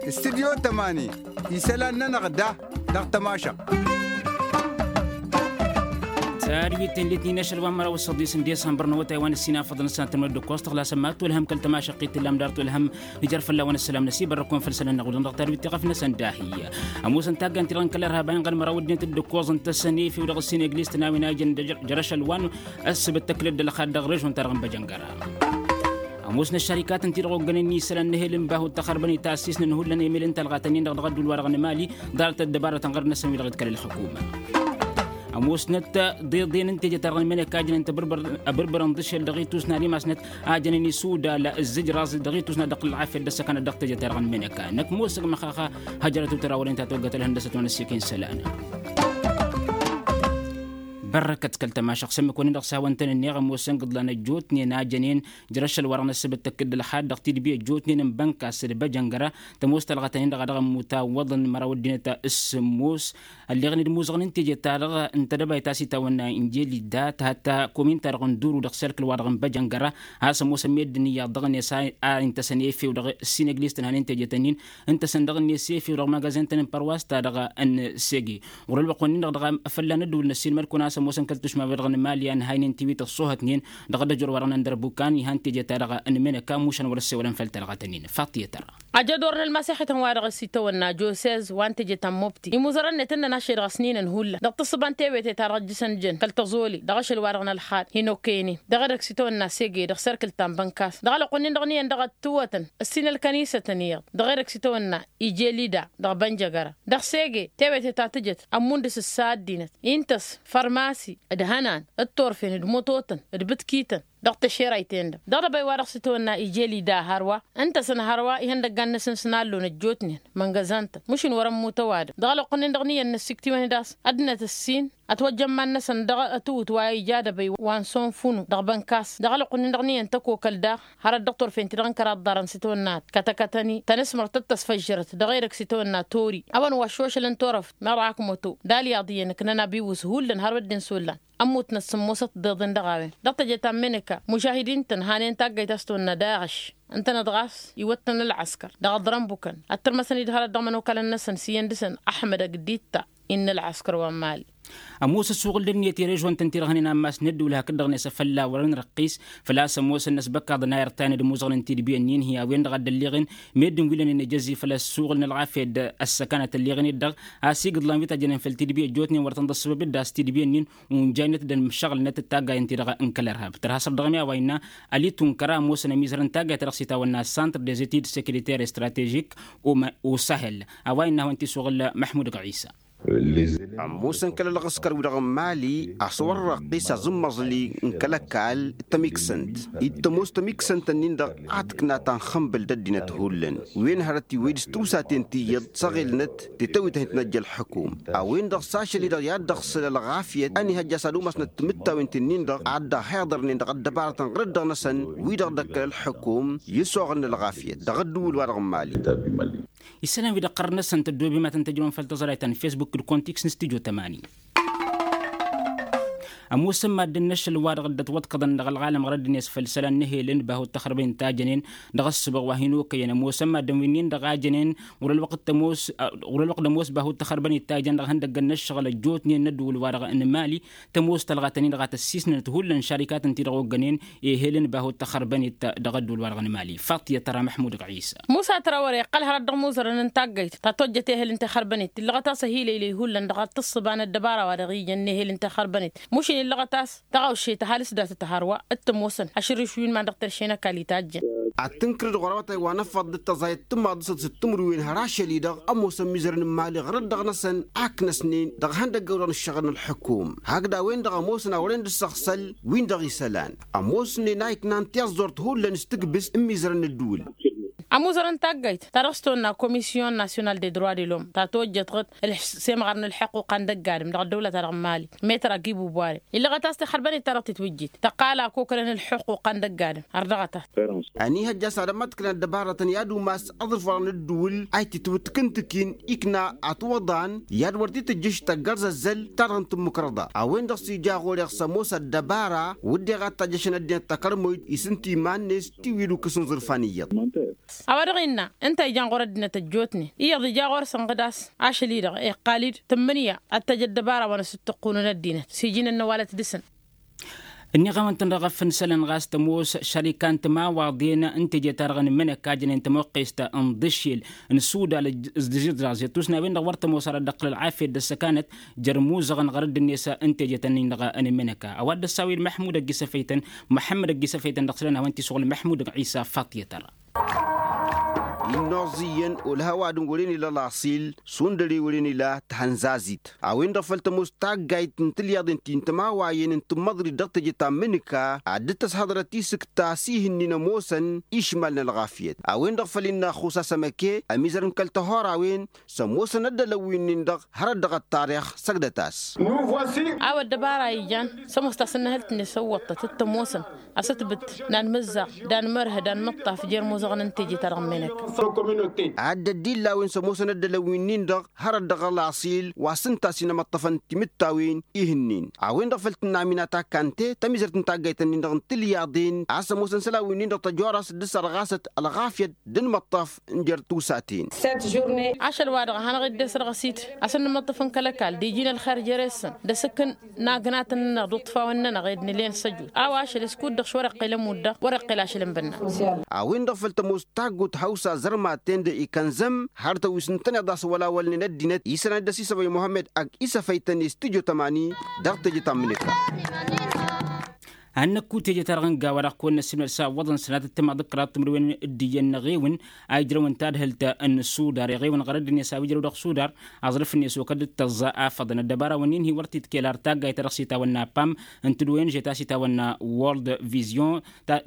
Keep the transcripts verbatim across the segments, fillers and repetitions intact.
Studyo tămani isălan-nănăɣ da dăɣ-tămašăɣt. Tadwit n-litnin ašăl wa n-măraw s-săḍis n-disămbăr n-awătay wa n-ăssinafăḍ n-ăssanăt n-măddăkkoẓ tăɣlasăm ma t-tolhăm kăl-tămašăɣt i-tǝllam dar tolhăm. Ijăr fălla-wen ăssălam n-ăsibărrăkun făll-isălan-năɣ wălăn dăɣ-tadwit tiɣăf-năsăn dahi. Ămoosăn taggan-ti-dăɣ n-kăl-irhab a inɣăl măraw ăddinăt d-ǝkkoẓ ǝntăsăn efew dăɣ-ăssin egliz tănawin a ijăn jăr-ašăl wa n-ăssăbăt tăkla dd-ălxad dăɣ-režon-ta-dăɣ n-băjăngăra. Ămoosnăt šarikat ǝnta-i-dăɣ oggănen isălan n-ehel n-bahu d-taxărbănit a ăssisnăn hullan emel n-talɣat-nin-dăɣ dăɣ-ădduul-wa-dăɣ n-mali ḍarăt ăddăbarăt ănɣărăn-năsăn wi-dăɣ dd-kăl-ălxukuma. Ămoosnăt deḍen n-teje-ta-dăɣ n-meneka a jănen tăbărbăr ăbărbărăn d-ašel dăɣ-itusna n-imasnăt a jănen isudal ǝzzǝjraẓ dăɣ-itusna dăɣ-kăl-ălɣafyăt d-ăssăkanăt dăɣ-teje-ta-dăɣ n-meneka năkk mosăg măxaxa. Hăjrăt utărawăren ta toggăt ălhăndăsăt wa n-ăssiken isălan. Bărrăkăt kăl-tămašăɣ s-ǝmmǝk-wăn-in-dăɣ s-hawăn-tăn-ǝnneɣ ămoosăn gǝḍlan ăjjootnen a jănen jăr-ašăl-wa-dăɣ n-ăssăbăt tăkk-dd ălxad dăɣ-tidbi ăjjootnen n-bănkas d-băjăngăra. Tămoos talɣătăn-in-dăɣ a dăɣ-ămmut awwăḍăn măraw ăddinăt s-sǝmmos ălleɣen d-imuzăɣăn n-teje-ta-dăɣ n-tedăbayt a-s itawănna injeli dat hătta komin-ta-dăɣ n-duru dăɣ-serkǝl-wa-dăɣ n-băjăngăra. A-s ămoosăn meddǝn iyyăḍ dăɣ-net a intăsăn efew dăɣ-ăssin ăgglistăn hanen teje-tăn-in ǝntăsăn dăɣ-net efew dăɣ-magazen-tăn n-părwas-ta-dăɣ n-sege. Ɣur-ălwăqq-wen-in-dăɣ dăɣ-afălla n-ădduul n-ăssiilmăd-kăwăn a-s ămoosăn kăl-tušma-wi-dăɣ n-mali a ǝnhaynen tiwit ăṣṣuhătnen dăɣ-ăddăjor-wa-dăɣ n-ăndărbuk a n-ihăn teje-ta-dăɣ n-menăka mušan wăr-ăssewălăn făll-talɣătăn-in faṭiyăt ărra. Ajădor n-ălmasex-ităn-wa-dăɣ s-itawănna josez wa n-teje ta n-mobti imuzărăn-net ǝnnăn ašăl-dăɣ ăsninăn hullan dăɣ-tǝssǝba n-tewete-ta-dăɣ ăjjǝsăn jăn kăl-tăẓoli dăɣ-ašăl-wa-dăɣ n-ălxad hin-okăynen dăɣ-edăgg s-itawănna sege dăɣ-serkǝl ta n-bănkas dăɣ-alăqq-wen-in-dăɣ n-iyyăn dăɣ-ătwătăn ăssin ălkănisătăn iyyăḍ dăɣ-edăgg s-itawănna ije lida dăɣ-bănjăgăra dăɣ-sege tewete ta tǝjăt ămmundǝs ǝssa ăddinăt intăs fărmasi d-hănan d-turfen d-mututăn d-bǝtkităn dăɣ-tăšerăyten-dăɣ dăɣ-dăbăy wa dăɣ-s itwănna ije lida hărwa ǝntăsăn hărwa ihăndăggan-năsăn s-nallon ăjjootnen măngăzăn-tăn mǝšǝn wăr-ămmut ăwadǝm dăɣ-alăqqǝn-in-dăɣ n-iyyăn n-ăssiktǝwăn d-a-s ăddinăt ǝssin ătwăjjămman-năsăn dăɣ-ătwǝt wa ija dăbăy wa n-sonfunu dăɣ-bănkas dăɣ-alăqqǝn-in-dăɣ n-iyyăn tăkokăl daɣ hărăt dăɣ-turfen-ti-dăɣ n-kăraḍ ḍarăn s-itwănna ad-kătăkătăn-i tănăsmăr tăt-tăsfăžžărăt dăɣ-edăgg s-itwănna tori a-wen wa ăššošălăn turăft meḍa akmăto d-alyaḍ iyyăn ǝknăn abiwǝs hullan har wădden s-ollan ămmutnăt sǝmmosăt tiḍeḍen dăɣ-a-wen dăɣ-teje ta n-meneka mužahidin-tăn hanen taggayt a-s tonna daɣăš ǝntănăt ɣas iwăttăn ălɣăskăr dăɣ-aḍrănbukăn ăttărmăsăn-dd hărăt dăɣ-imănokalăn-năsăn s-iyyăn dăɣ-săn ăḥmăd ăgg ditta innă ălɣăskăr wa n-mali. Ămoos ăssuɣǝl d-ǝnniyăt i-režon-tăn-ti-dăɣ hănen ammas n-ădduul hakd-dăɣ-net a fălla wărăn răqqis făl-a-s ămoosăn n-ăsbăkaḍăn a irtayăn d-imuzăɣăn n-tidbi ǝnnin-hi a-wen-dăɣ a dd-ălliɣen meddǝn wi lănen ejăzzi făl-ăssuɣǝl n-ălɣafyăt d-ăssăkanăt ălliɣen-dd-dăɣ a-s igǝḍlan wi tajjănen făll-tidbi ăjjootnen wăr tăn-dd-ăṣṣăbăb d-ass tidbi ǝnnin unjăynăt d-ănmăššăɣǝlnăt d-taggayen-ti-dăɣ n-kăl-ărhab tărha săr dăɣ-mi a-wa innă ăli tunkăra ămoosăn ămizăr n-taggayt ta dăɣ-s itawănna santr des etid sekiriter stratežik u-sahel. A-wa innă a-wen t-isuɣǝl măḥmud ɣisa. Ămoosăn kăl-ălɣăskăr-wi-dăɣ n-mali a-s wăr-răqqis aẓǝmmăẓli n-kăl-ăkall tămiksănt dd-tămoos tămiksănt-nin-dăɣ a tǝkna ta n-xănbǝl d-ăddinăt hullan wen hărăt iwwăy d-s tǝwsaten ti iyyăḍ s-aɣelnăt tetăwit a hin-tăn-ăjja ălḥăkum. A-wen-dăɣ s-ašăl-i-dăɣ i-ad-dăɣ-săl ălɣafyăt ănihăjja s-ad-umasnăt timǝttawen-tin-nin-dăɣ ad-dăɣ-heḍărnen dăɣ-ăddăbarătăn ɣǝrǝd-dăɣ-năsăn wi-dăɣ dd-ăkkăl ălḥăkum i-ăsoɣălăn ălɣafyăt dăɣ-ădduul-wa-dăɣ n-mali. Isălan wi-dăɣ ɣărnăsăn tăddoobem ad-tăn-tăjrăwăn făll-tăẓrayt ta n-fesbuk d-kontiks n-studyo tămani. Ămoosăn maddǝn n-ašăl-wa-dăɣ dd-ătwăḍkăḍăn dăɣ-ălɣalăm ɣărăd-net făll-isălan n-ehel n-bahu d-taxărbăyăn ta jănen dăɣ-ăssǝbăɣ wa hin-okăyăn ămoosăn maddǝn wi-nin-dăɣ a jănen ɣur-ălwăqq d-ămoos bahu d-taxărbănit ta jăn dăɣ-ihăndăggăn n-ăššăɣǝl ăjjootnen n-ădduul-wa-dăɣ n-mali. Tămoos tălɣatăn-in-dăɣ a tăssisnănăt hullan šarikatăn-ti-dăɣ oggănen ehel n-bahu d-taxărbănit dăɣ-ădduul-wa-dăɣ n-mali faṭiyăt tăra măḥmud ɣisa. Musa tăra wăr-iqqăl hărăt dăɣ-imuzărăn n-taggăyt ta tojjăt ehel n-taxărbănit illăɣăt-as ăhiilăylăy hullan dăɣ-ad-tǝssǝba n-ăddăbara wa dăɣ-ijăn n-ehel n-taxărbănit mušin illăɣăt-as tăɣawše tăhalǝs datăt hărwa d-tămoosăn ašǝrrǝš wi n-iman dăɣ-terše n-ăkall itajjăn. Ad-tǝnkǝrǝd ɣur-awătay wa n-ăffăḍ d-tăẓayăt tǝmmaḍ dăɣ-săt s-timǝrwen hărašăl-i-dăɣ ămoosăn imizărăn n-imali ɣur-dd-dăɣ-năsăn a ǝknăsnen dăɣ-ihăndăggăwăn dăɣ-nǝššăɣǝl n-ălḥukum hakd a-wen-dăɣ ămoosăn a wăren dd-săɣsăl win-dăɣ isălan ămoosnen a iknan tiẓẓurt hullan s-tǝkbǝst n-imizărăn n-ădduul. Ămuzărăn taggayt ta dăɣ-s tonna komisyon nasyonal de droi de lom ta tojjătăɣ-dd semɣar n-ălḥuqquqa n-dăgg-adǝm dăɣ-ăddăwla-ta-dăɣ n-mali. Metra gibu bware illăɣăt a-s tixărbănet ta-dăɣ titwǝjjit tăqqal akokănen ălḥuqquqa n-dăgg-adǝm. Ărdăɣăt-as. Ănihăjja s-ad-ămmăḍkǝlăn ăddăbarătăn i-ad-umas aḍǝrfăɣ n-ǝddǝwǝl a itǝtwǝtkǝntǝkin ikna atwăḍan i-ad-wăr t-tǝjjǝš tăggărzăzzăl ta-dăɣ n-tǝmmǝkrăḍa a-wen-dăɣ s-ija ɣur-eɣ s-ămoos ăddăbara wǝdden ad-tajjăšăn ăddinăt takărmoyt isǝnta iman-net tiwǝyǝd ukǝs n-iẓǝrfa n-iyyăḍ. A-wa dăɣ-innă ǝnta a ijan ɣur-ăddinăt ăjjootnen iyyăḍ ija ɣur-săn ɣǝd a-s ašăl-i-dăɣ iqqal-dd tǝmmǝnǝya ad-t-tăj ăddăbara wa n-asǝttǝqqunăn ăddinăt s-iji n-ănnăwalăt dăɣ-săn. Ǝnniɣ-awăn-tăn dăɣ-efănsălăn ɣas tămoos šărika n-timawaḍen n-teje-ta-dăɣ n-imǝnăk a jănen tămoqqest n-iḍǝššel n-sudal. Ǝzzǝẓẓaẓ i-tusnawen-dăɣ wăr tămoos ara dd-ăqqǝl ălɣafyăt d-ăssăkanăt jer-imuzăɣăn ɣărădd-net n-teje-ta-nin-dăɣ n-imǝnăk. A-wa dd-ăssawăyăn măḥmud ăgg-isăfăy-tăn măḥămmăd ăgg-isăfăy-tăn dăɣ-isălan a-wen t-isuɣǝl măḥmud ăgg-isa faṭyăt-ărra. Innoẓ iyyăn olha ăwadǝm wăren ila laṣil šund ăre wăren ila tihănzazit a-wen-dăɣ făl tămoos taggayt n-tilyaḍen ti n-timawayen n-tǝmmăḍrit dăɣ-teje ta n-imǝnǝka ad-dd-tăshăḍrăt isǝkta s-ihǝnnin ămoosăn išmal n-ălɣafyăt a-wen-dăɣ făl innă ăxxus asămăke ămizărăn kăl-tăhorawen s-ămoosăn ăddălăn wi-nin-dăɣ hărăt dăɣ-ăṭṭarix săgdăt-as. A-wa ăddăbara ijan s-ămoos tasǝnnăhălt-net s-ăwwăṭṭăt t-ămoosăn asǝtbǝt n-anmǝzzaɣ d-anmărhǝd anmǝṭṭaf jer-imuzăɣăn n-teje-ta-dăɣ n-imǝnăk. Ad-dd-illa a-wen s-ămoosăn ăddălăn wi-nin-dăɣ hărăt dăɣ-ălaṣil wa s-ǝnta a-s hin-ămăṭṭăfăn timǝttawen ihǝnnin a-wen-dăɣ făl tǝnna aminata kante tămizărt n-taggayt-nin-dăɣ n-tilyaḍen a-s ămoosăn isălan wi-nin-dăɣ tăjora s-dd-sărɣasăt ălɣafyăt d-inmăṭṭaf n-jer-tusaten. Ašăl-wa-dăɣ a hanăɣ-dd-esrăɣsit a-s ănnămăṭṭăf n-kăl-ăkall d-iji n-ălxer jere-săn d-asǝkkǝn n-agnatăn-nănăɣ d-uṭṭfawăn-nănăɣ ed nǝlen s-ăjut a-wa ašăl s-kud-dăɣ s-wăr-iqqel ămudd-dăɣ wăr-iqqel ašăl n-bǝnna. A-wen-dăɣ făl tămoos taggut hawsa zărmaten d-ikănzăm har tăwis n-tăneḍ a-s wăla wălnen ăddinăt isălan dd-ăsisăbăy muhămmăd ăgg isăfăy-tăn i-studyo tămani dăɣ-teje ta n-imǝnǝka. Ad-năkku teje-ta-dăɣ n-gawa-dăɣ kăwăn-năssimnăd s-a ǝwwăḍăn sănatăt timaḍ d-kăraḍ timǝrwen d-iyyăn n-eɣewǝn a ijrăwăn tadhǝlt n-sudar eɣewǝn ɣărădd-net a-wa ijrăw dăɣ-sudar aẓrǝf-net okădd d-tăẓẓa afăḍăn ăddăbara-wăn-in hi-wăr t-itkel ar taggayt-ta-dăɣ s-itawănna pam n-tǝdwăyăn žet a-s itawănna world vision.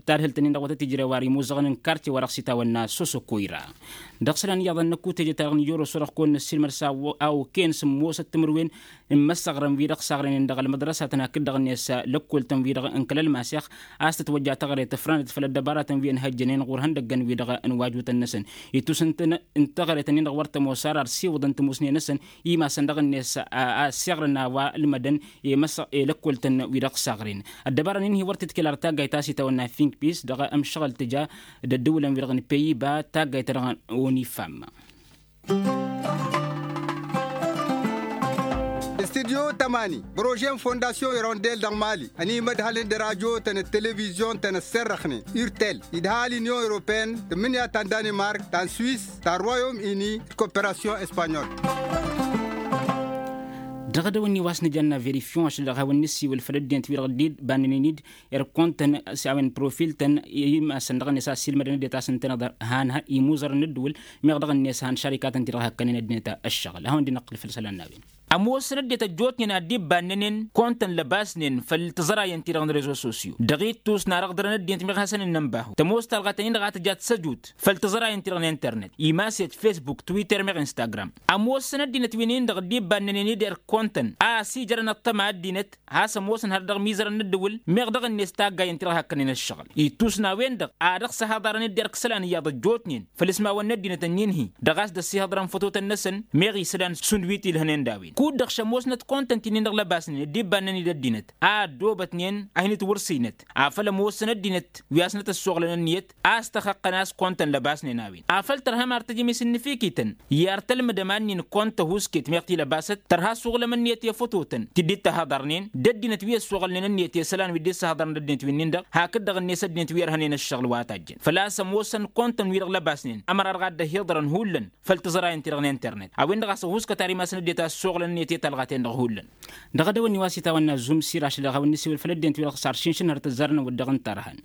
Tadhǝlt-nin-dăɣ wăr tăt-ijrew ar imuzăɣăn n-kartye-wa-dăɣ s-itawănna sosokoyra. Dăɣ-isălan iyyăḍ ad-năkku teje-ta-dăɣ n-ijoroso-dăɣ kăwăn-năssilmăd s-a okăyăn sǝmmosăt timǝrwen n-imăssăɣrăn-wi-dăɣ saɣrăynen dăɣ-ălmăḍrăsatăn hakd-dăɣ-net lăkkoltăn wi-dăɣ n-kăl-ălmasex a-s tǝtwăjja taɣre tǝfrănăt făll-ăddăbaratăn wi ănhăjjănen ɣur-ihăndăggăn-wi-dăɣ n-wajutăn-năsăn. Itus n-taɣreten-in-dăɣ wăr tămoos ar ar siwǝḍăn tǝmusnen-năsăn imasăn dăɣ-net a ăssiɣrăn a-wa ǝlmădăn i-lăkkoltăn wi-dăɣ saɣren. Ăddăbara-nin-hi wăr t-ǝtkel ar taggayt ta s-itawănna finkpis dăɣ-ămšăɣǝl tǝja d-ăddǝwǝlăn-wi-dăɣ n-peyiba taggayt-ta-dăɣ n-onifam. Studyo tămani prože n-fondasyon irondel dăɣ-mali ănimădhălăn d-rajo-tăn d-televizyon-tăn ăsserrăxnen urtel idha l-inyon europeyăn tǝmmǝnǝya ta n-danimark ta n-swis ta n-royom ini d-koperasyon espanyol. Dăɣ-edăwănni wa s-nǝjanna verifyon ašăl dăɣ-hawăn-nǝssiwǝl făll-ăddinăt-wi-dăɣ dd-bannănen-dd irkun-tăn s-a-wen profil-tăn i-imasăn dăɣ-net a ăssiilmădăn ăddinăt a-s ǝntăneḍ han imuzărăn n-ǝddǝwǝl meɣ dăɣ-net han šarikatăn-ti-dăɣ hakkănen ăddinăt ăššăɣǝl ad-hawăn-dd-inăqqǝl făll-isălan n-a-wen. Ămoosăn ăddinăt ăjjootnen a dd-ibbannănen kăwăn-tăn lăbasnen făll-tiẓărayen-ti-dăɣ n-rezo sosyo dăɣ-ittus n-arăɣdărăn ăddinăt meɣ hasăn-ǝnnănbahu tămoos talɣa-tăn-in-dăɣ a tǝjat s-ăjut făll-tiẓărayen-ti-dăɣ n-internet imas-et facebook twitter meɣ instagram. Ămoosăn ăddinăt wi-nin-dăɣ dd-ibbannănen-dd irkun-tăn a ăsijărăn ăṭṭăma ăddinăt has-ămoosăn har dăɣ-imizărăn n-ǝddǝwǝl meɣ dăɣ-net taggayen-ti-dăɣ hakkănen ăššăɣǝl ittus n-a-wen-dăɣ a dăɣ-săhaḍarăn-dd irk isălan iyyăḍ ăjjootnen făll-ismawăn n-ăddinăt ǝnnin-hi dăɣ-a-s dd-ăssihăḍrăn fătotăn-năsăn meɣ isălan šund wi t-ilhănen d-a-wen kud-dăɣ šămoosnăt kăwăn-tăn-t-inin-dăɣ lăbasnen dd-ibbannăn-dd ăddinăt a ăddoobătnen ad-hin-itwǝrsinăt afăl ămoosăn ăddinăt wi a-s năt-ăssoɣlăn ǝnniyăt a-s tăxăqqăn a-s kăwăn-tăn lăbasnen a-wen afăl tărhăm ar tăjăm isǝnnǝfikităn i-ar tălmǝdăm ad-nin kăwăn-tăhuusket meɣ t-ilăbasăt tărha ăssuɣlăm ǝnniyăt i-fătotăn ti dd-tăhăḍărnen d-ăddinăt wi ăssuɣǝlnen ǝnniyăt i-isălan wi dd-issăhăḍărăn d-ăddinăt wi-nin-dăɣ hakd-dăɣ-net ăddinăt wi ărhănen ăššăɣǝl wa tajjăn făl-a-s ămoosăn kăwăn-tăn wi-dăɣ lăbasnen ămăra dăɣ-ad-dd-ăhiḍărăn hullan făll-tiẓrayen-ti-dăɣ n-internet a-wen-dăɣ a-s ăhuuskăt ar imasăn ăddinăt a ăssuɣǝlăn ǝnniyăt i-talɣaten-dăɣ hullan. Dăɣ-edăwănni wa s-itawănna zumsir ašăl dăɣ-hawăn-nǝsiwǝl făll-ăddinăt wi-dăɣ s-ar šinšǝnhăr tǝzzarăn wăr dăɣ-ǝnta ărhăn.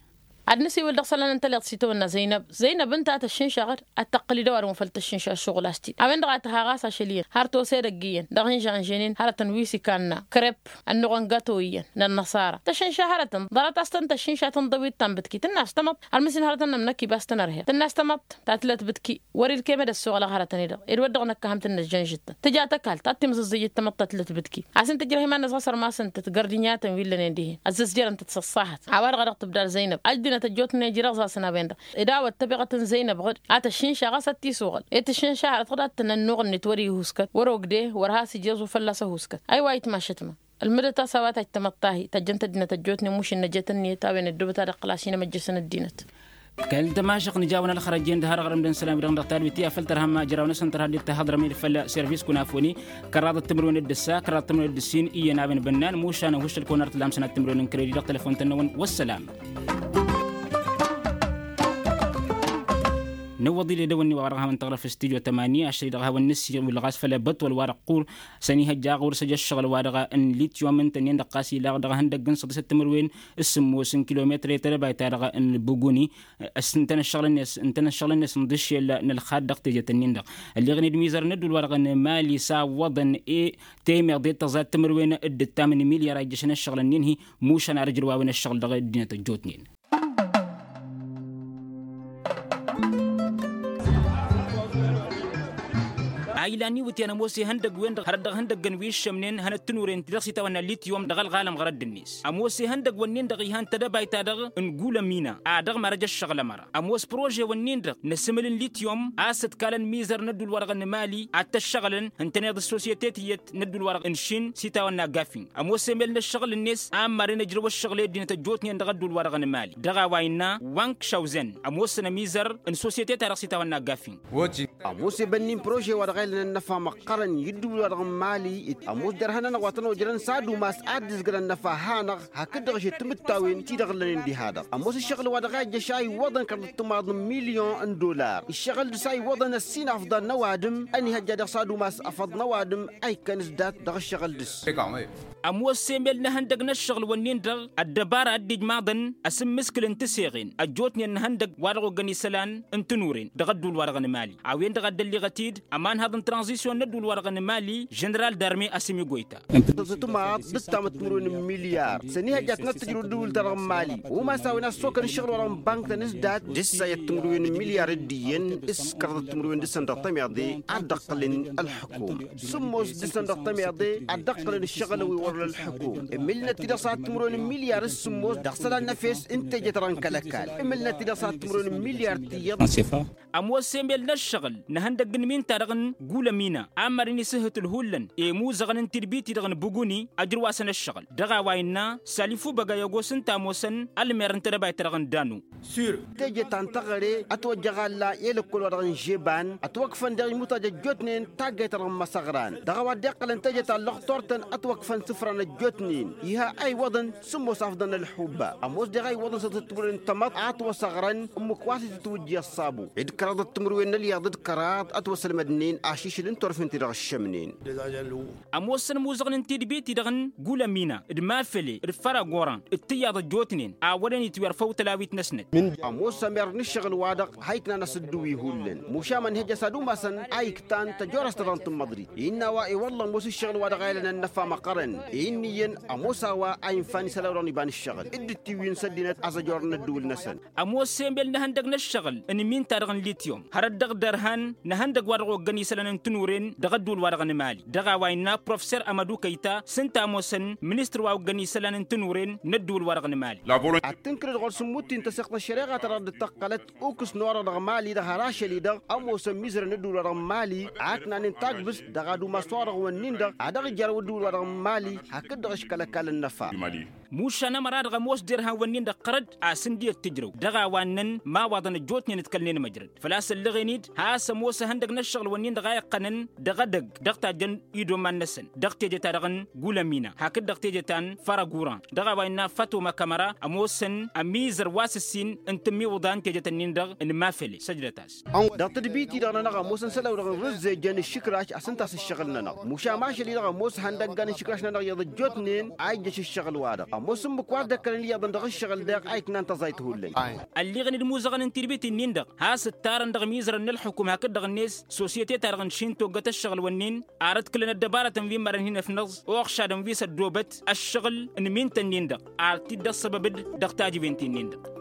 ad-nǝsiwǝl dăɣ-isălan n-tăliḍt s-itawănna zăynăb zăynăb ǝnta a tăššǝnša ɣǝd ad-tăqqǝl idăwar-wen făll-tăššǝnša ăššuɣǝl a-s t-in a-wen-dăɣ a tăhaɣ a-s ašăl iyyăn har tose edăgg iyyăn dăɣ-inžănženin hărătăn wi s-ikanna krep ănnuɣăn gato iyyăn n-ănnăṣara tăššǝnša hărătăn ḍarăt a-s tăn-tăššǝnša tǝnḍăwit ta n-bǝtki tǝnn'-as tamăḍt har mǝssin hărătăn n-ămnăkib a-s tăn-ărheɣ tǝnn'-as tamăḍt ta tǝlăt bǝtki wăr-dd kăyăm ed-ăssoɣălăɣ hărătăn-i-dăɣ ed wăr dăɣ-năkk a ham tǝnnăjjăn žǝttăn tǝja tăkalt ad-timẓǝẓẓǝjǝt tamăḍt ta tǝlăt bǝtki a-s ǝnta ǝjrăh iman-năsɣas ărmasăn-tăt gărdǝnyatăn wi ǝllănen dihen ăzzăzjărăn-tăt s-ăṣṣahăt a-wa-dăɣ a dăɣ-tǝbdar zăynăb ăddinăt ăjjootnen ijrăẓ-asăn a-wen-dăɣ ed a-wa ăttăbeɣăt n-zăynăb ɣǝd a tăššǝnša ɣas ad-t-iswăɣăl ed tǝššǝnša hărăt ɣǝd ad-tăn-ănnuɣ-net wăr-ihuskat wăr-ogde wăr has-ija aẓu fălla-s ăhuuskat. Aywa itmašăt ma ǝlmǝdăt a-s a-wa tajj tamăḍt ta hi-tajjăn-t ăddinăt ăjjootnen mušǝnnăjet ǝnniyăt a-wen ăddoobăt ad-iqqǝl ašinămăjjăsăn ăddinăt. Kăl-tămašăɣt nǝja-wăn ălxărăj-en d-hărăɣrăm d-ănn isălan-wi-dăɣ dăɣ-tadwit i-afăl tărhăm ajraw-năsăn tărha dd-tahăḍrăm-dd făll-servis kunafoni kăraḍăt timǝrwen d-ǝssa kăraḍăt timǝrwen d-ǝssin iyyăn a-wen bănnan mušan ăhuššăl-kăwăn ar t-lam sănat timǝrwen n-kredi dăɣ-telăfon-tăn-năwăn. Wăssălam. Nǝwwăḍ-dd edăwănni wa dăɣ-hawăn-tăɣrăf s-tidyo tămani ašăl-i dăɣ-hawăn-nǝsiwǝl ɣas făll-ebătwăl wa dăɣ-qur s-ănihăjja ɣur-s ăj ăššăɣǝl wa dăɣ-n lityom ǝntănnen-dăɣ ɣas ilaɣ dăɣ-ihăndăgg n-săḍisăt timǝrwen s-sǝmmos n-kilometăr i-tedăbayt-ta-dăɣ n-buguni. S-ǝntănăššăɣǝl-net ǝntănăššăɣǝl-net n-dăššel n-ălxad dăɣ-tejăt-ǝnnin-dăɣ ălleɣăn-dd mizăr n-ădduul-wa-dăɣ n-mali s-a ǝwwăḍăn i-temeḍe d-tăẓat timǝrwen d-ǝttam n-milyar a ijjăšăn ăššăɣǝl-nin-hi. Mušan ar ǝjrǝwawăn ăššăɣǝl dăɣ-ăddinăt ăjjootnen. A ilan iwǝtyan ămoos ihăndăgg-wen-dăɣ hărăt dăɣ-ihăndăggăn wi ǝššămnen hănăt-tǝnuren ti-dăɣ s-itawănna lityom dăɣ-ălɣalăm ɣărădd-net ămoos ihăndăgg-wǝnnin-dăɣ ihan tedăbayt-ta-dăɣ n-gulămina a dăɣ-marăj ăššăɣǝl ămăra ămoos prože-wǝnnin-dăɣ n-asǝmǝl n-lityom a-s ǝtkalăn mizăr n-ădduul-wa-dăɣ n-mali ad-t-ăššăɣǝlăn ǝntăneḍ ăssosiyete tiyyăt n-ădduul-wa-dăɣ n-šin s-itawănna gafing ămoos emel n-ăššăɣǝl-net a ămmarăn ǝjrăw ăššăɣǝl i-ăddinăt ăjjootnen dăɣ-ădduul-wa-dăɣ n-mali dăɣ-a-wa innă wank šawzen ămoosăn ămizăr n-sosiyete-ta-dăɣ s-itawănna gafing. Ămoos ebănni n-prože wa dăɣ-a ilăn ănnăfa măqqărăn i-ǝddǝwǝl-wa-dăɣ n-mali ămoos derhan-nănăɣ wa tăn-ojrăn s-ad-umas ad-dd-ǝzgǝr ănnăfa hanăɣ hakd-dăɣ ašăl timǝttawen ti-dăɣ ǝllănen diha-dăɣ ămoos ǝššăɣǝl wa dăɣ-a ijjăš a iwwăḍăn kăraḍăt timaḍ n-milyon n-dollar ǝššăɣǝl dăɣ-s a iwwăḍăn ăssinaf ḍan n-ăwadǝm ănihăjja dăɣ-s ad-umas afăḍ n-ăwadǝm a ikkăn s-dat dăɣ-ǝššăɣǝl dăɣ-s. Ămoos emel n-ehăndăg n-ăššăɣǝl-wǝnnin-dăɣ ăddăbara a dd-ijmaḍăn asǝmmǝskǝl n-tiseɣen ăjjootnen n-ehăndăg wa dăɣ-oggăn isălan n-tinuren dăɣ-ădduul-wa-dăɣ n-mali a-wen-dăɣ a dd-ălliɣăt-dd ămanhăḍ n-tranzisyon n-ădduul-wa-dăɣ n-mali ženeral darme asǝm igoyta. Tǝtmaḍ d-ǝttamăt timǝrwen n-milyar s-ănihăjja ad-tăn-ăttǝjrǝw ădduul-ta-dăɣ n-mali u-ma s-a-wen a ăssokăn ǝššăɣǝl-wa-dăɣ n-bank-tăn s-dat d-ǝssayăt timǝrwen n-milyar d-iyyăn s-kăraḍăt timǝrwen dăɣ-săn dăɣ-tămeḍe ad-dd-ăqqǝlăn ălḥukuma sǝmmos dăɣ-săn dăɣ-tămeḍe ad-dd-ăqqǝlăn ǝššăɣǝl wi wăr-ălḥukum ǝmmǝlnăt-t-dăɣ s-ad-timǝrwen n-milyar s-sǝmmos dăɣ-isălan n-efes n-teje-ta-dăɣ n-kăl-ăkall ǝmmǝlnăt-t-dăɣ s-ad-timǝrwen n-milyar tiyyăḍ. Ămoos emel n-ăššăɣǝl n-ehăndăgg n-iminta-dăɣ n-gulămina a ămmarăn isǝhhǝt ǝlhullăn i-imuzăɣăn n-tidbit-i-dăɣ n-buguni ăjrǝwasăn ăššăɣǝl dăɣ-a-wa innă salifu băgăy ăgos ǝnta a ămoosăn ălmer n-tedăbayt-ta-dăɣ n-danu. Teje ta n-teɣăre ătwăjjăɣ a ǝlla i-lăkkol-wa-dăɣ n-žeban ătwăkfăn daɣ imutaj ăjjootnen taggayt-ta-dăɣ n-imăsăɣran dăɣ-a-wa dd-iqqălăn teje ta n-lăxtor-tăn ătwăkfăn sǝfra n-ăjjootnen iha a iwwăḍăn sǝmmos afḍăn ălḥubba ămoos daɣ a iwwăḍăn s-ad-tǝttǝwǝlăn n-tamăḍt a ătwăsăɣrăn ǝmmǝk wa s-itǝtwǝjji ăṣṣabu d-kăraḍăt timǝrwen n-ălyaḍ d-kăraḍ ătwăsălmădnen ašǝšǝl n-turfen-ti-dăɣ ǝššămnen. Ămoosăn imuzăɣăn n-tidbit-i-dăɣ n-gulămina d-mafele d-făragoran d-tiyyăḍ ăjjootnen a wărăn itwirfăw tălawit-năsnăt. Ămoos ămer n-ǝššăɣǝl-wa-dăɣ ha iknan asǝdduwi hullan mušam ănhăjja s-ad-umasăn a iktan tăjorăst-ta-dăɣ n-tǝmmăḍrit innă a-wa i-wălla ămoos ǝššăɣǝl-wa-dăɣ a ilănăn n-ăffa măqqărăn i-ǝnniyăn ămoos a-wa a infa n-isălan-wa-dăɣ n-iba n-ǝššăɣǝl dd-ǝttiwǝyăn s-ăddinăt a-s ăjorăn ădduul-năsăn. Ămoos emel n-ehăndăg n-ăššăɣǝl n-iminta-dăɣ n-lityom hărăt dăɣ-derhan n-ehăndăg wa dăɣ-oggăn isălan n-tinuren dăɣ-ădduul-wa-dăɣ n-mali dăɣ-a-wa innă professer amădu kăyta s-ǝnta ămoosăn ministăr wa oggăn isălan n-tinuren n-ădduul-wa-dăɣ n-mali. Ad-tǝnkǝlăd ɣur-s ǝmmut-i n-tăseɣt n-ăššăreɣa-ta-dăɣ dd-tăqqălăt ukǝs n-orăɣ dăɣ-mali dăɣ-hărăšăl-i-dăɣ ămoosăn mizărăn ădduul-wa-dăɣ n-mali a ǝknanen tagbǝst dăɣ-ad-umas orăɣ-wǝnnin-dăɣ a dăɣ-ijărrăw ădduul-wa-dăɣ n-mali hakd-dăɣ ǝškăl ăkall ănnăfa. Mušan ămăra-dăɣ ămoos derhan-wǝnnin-dăɣ ɣărăd a-s ǝndiy ăttǝjrăw dăɣ-a-wa ǝnnăn imawaḍăn ăjjootnen ǝtkălnen măjrăd făl-a-s ălleɣen-dd has-ămoos ehăndăg n-ăššăɣǝl-wǝnnin-dăɣ a iqqănăn dăɣ-edăgg dăɣ-tajjăn idoman-năsăn dăɣ-teje-ta-dăɣ n-gulămina hakd dăɣ-teje ta n-fărăguran dăɣ-a-wa innă fatoma kămăra ămoosăn ămizăr wa s-ǝssin n-tǝmmiwǝḍa n-tejet-ǝnnin-dăɣ n-mafele săjdăt-as. Dăɣ-tadbit-i-dăɣ-nănăɣ ămoosăn isălan-wa-dăɣ n-rǝzzejăn ǝššǝkraš a-s ǝnta a-s ǝššăɣǝl-nănăɣ mušam ašăl-i-dăɣ ămoos ihăndăggan ǝššǝkraš-nănăɣ iyyăḍ ăjjootnen a ijjăš ǝššăɣǝl-wa-dăɣ. Ămoos ǝmmǝk wa dd-ăkkălăn iyyăḍăn dăɣ-ǝššăɣǝl daɣ a iknan tăẓayt hullan. Ălliɣăn d-imuzăɣăn n-tidbit-in-dăɣ has-ǝttarăn dăɣ-imizărăn n-ălxukum hakd-dăɣ-net sosyete-ta-dăɣ n-išin toggăt ăššăɣǝl-wǝnnin ar ǝdkǝlăn ăddăbarătăn wi n-imarăn hin-ăfnăẓ oɣšadăn wi s-ăddoobăt ăššăɣǝl n-imintăn-in-dăɣ ar t-dd-ăṣṣăbăb-dd dăɣ-tajǝben-ti-nin-dăɣ.